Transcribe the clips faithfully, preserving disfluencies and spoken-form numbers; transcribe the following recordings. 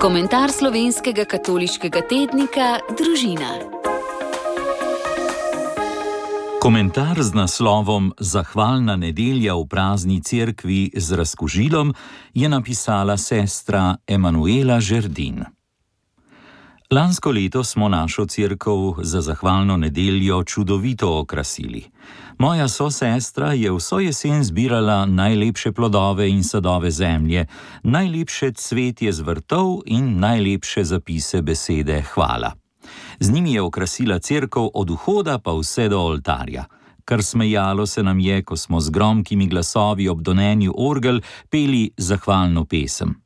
Komentar slovenskega katoliškega tednika Družina. Komentar z naslovom Zahvalna nedelja v prazni cerkvi z razkužilom je napisala sestra Emanuela Žerdin. Lansko leto smo našo cerkev za zahvalno nedeljo čudovito okrasili. Moja sosestra je vso jesen zbirala najlepše plodove in sadove zemlje, najlepše cvetje z vrtov in najlepše zapise besede hvala. Z njimi je okrasila cerkev od vhoda pa vse do oltarja. Kar smejalo se nam je, ko smo z gromkimi glasovi ob donenju orgel peli zahvalno pesem.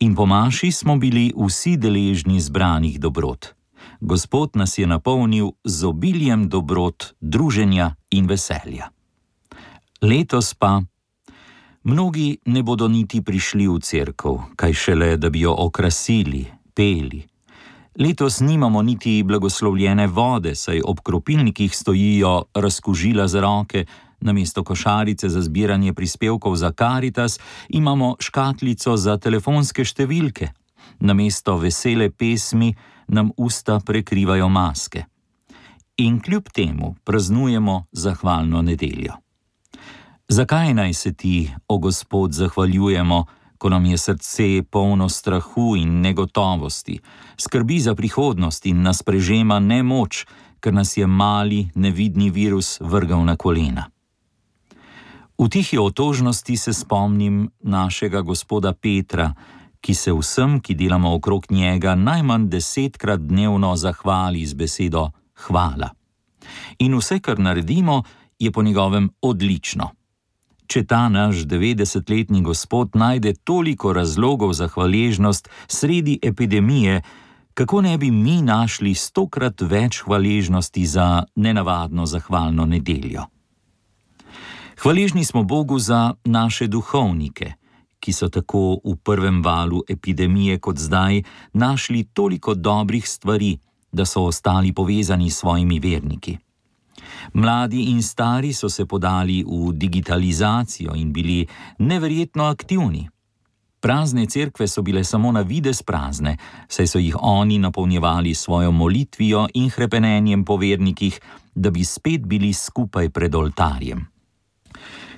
In po maši smo bili vsi deležni zbranih dobrot. Gospod nas je napolnil z obiljem dobrot, druženja in veselja. Letos pa mnogi ne bodo niti prišli v cerkev, kaj šele, da bi jo okrasili, peli. Letos nimamo niti blagoslovljene vode, saj ob kropilnikih stojijo razkužila za roke, namesto košarice za zbiranje prispevkov za Karitas imamo škatlico za telefonske številke. Namesto vesele pesmi nam usta prekrivajo maske. In kljub temu praznujemo zahvalno nedeljo. Zakaj naj se ti, o Gospod, zahvaljujemo, ko nam je srce polno strahu in negotovosti, skrbi za prihodnost in nas prežema nemoč, ker nas je mali, nevidni virus vrgal na kolena? V tihi otožnosti se spomnim našega gospoda Petra, ki se vsem, ki delamo okrog njega, najmanj desetkrat dnevno zahvali z besedo hvala. In vse, kar naredimo, je po njegovem odlično. Če ta naš devetdesetletni gospod najde toliko razlogov za hvaležnost sredi epidemije, kako ne bi mi našli stokrat več hvaležnosti za nenavadno zahvalno nedeljo? Hvaležni smo Bogu za naše duhovnike, ki so tako v prvem valu epidemije kot zdaj našli toliko dobrih stvari, da so ostali povezani s svojimi verniki. Mladi in stari so se podali v digitalizacijo in bili neverjetno aktivni. Prazne cerkve so bile samo na videz prazne, saj so jih oni napolnjevali svojo molitvijo in hrepenenjem po vernikih, da bi spet bili skupaj pred oltarjem.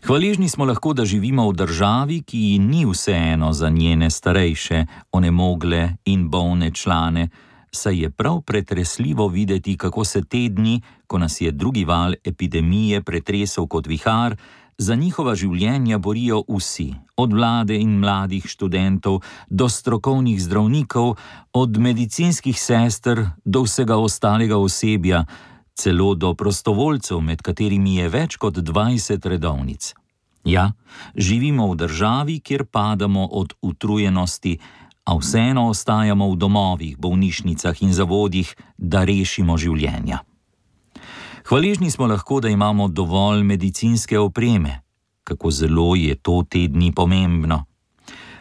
Hvaležni smo lahko, da živimo v državi, ki ji ni vseeno za njene starejše, onemogle in bolne člane, saj je prav pretresljivo videti, kako se te dni, ko nas je drugi val epidemije pretresel kot vihar, za njihova življenja borijo vsi, od vlade in mladih študentov do strokovnih zdravnikov, od medicinskih sester do vsega ostalega osebja, celo do prostovoljcev, med katerimi je več kot dvajset redovnic. Ja, živimo v državi, kjer padamo od utrujenosti, a vseeno ostajamo v domovih, bolnišnicah in zavodih, da rešimo življenja. Hvaležni smo lahko, da imamo dovolj medicinske opreme. Kako zelo je to te dni pomembno.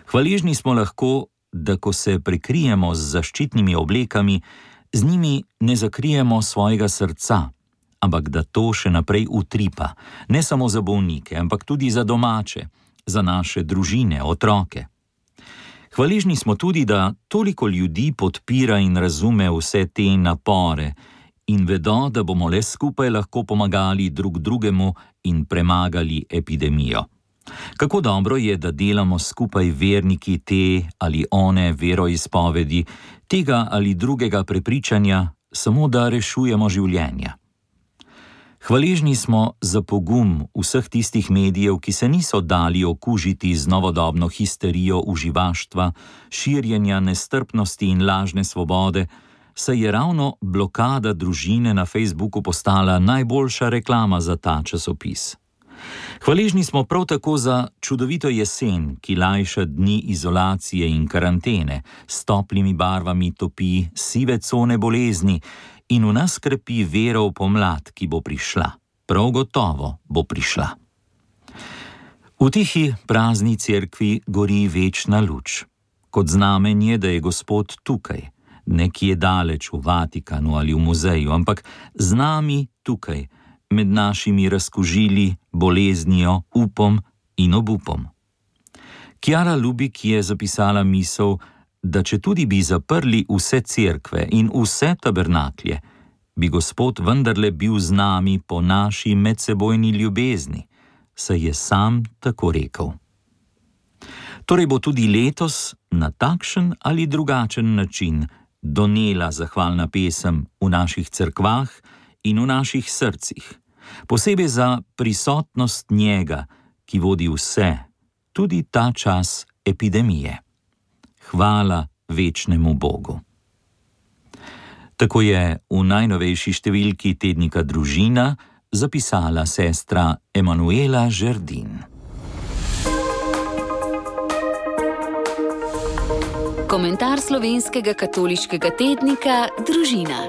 Hvaležni smo lahko, da ko se prekrijemo z zaščitnimi oblekami, z njimi ne zakrijemo svojega srca, ampak da to še naprej utripa, ne samo za bolnike, ampak tudi za domače, za naše družine, otroke. Hvaležni smo tudi, da toliko ljudi podpira in razume vse te napore in vedo, da bomo le skupaj lahko pomagali drug drugemu in premagali epidemijo. Kako dobro je, da delamo skupaj verniki te ali one veroizpovedi, tega ali drugega prepričanja, samo da rešujemo življenja. Hvaležni smo za pogum vseh tistih medijev, ki se niso dali okužiti z novodobno histerijo uživaštva, širjenja nestrpnosti in lažne svobode, saj je ravno blokada družine na Facebooku postala najboljša reklama za ta časopis. Hvaležni smo prav tako za čudovito jesen, ki lajša dni izolacije in karantene, s toplimi barvami topi sive cone bolezni in v nas krepi vero v pomlad, ki bo prišla. Prav gotovo bo prišla. V tihi prazni cerkvi gori večna luč, kot znamenje, da je Gospod tukaj, nekje daleč v Vatikanu ali v muzeju, ampak z nami tukaj, med našimi razkužili, boleznijo, upom in obupom. Chiara Lubich je zapisala misel, da če tudi bi zaprli vse cerkve in vse tabernaklje, bi Gospod vendarle bil z nami po naši medsebojni ljubezni, saj je sam tako rekel. Torej bo tudi letos na takšen ali drugačen način donela zahvalna pesem v naših cerkvah in v naših srcih, posebej za prisotnost njega, ki vodi vse, tudi ta čas epidemije. Hvala večnemu Bogu. Tako je v najnovejši številki tednika Družina zapisala sestra Emanuela Žerdin. Komentar slovenskega katoliškega tednika Družina.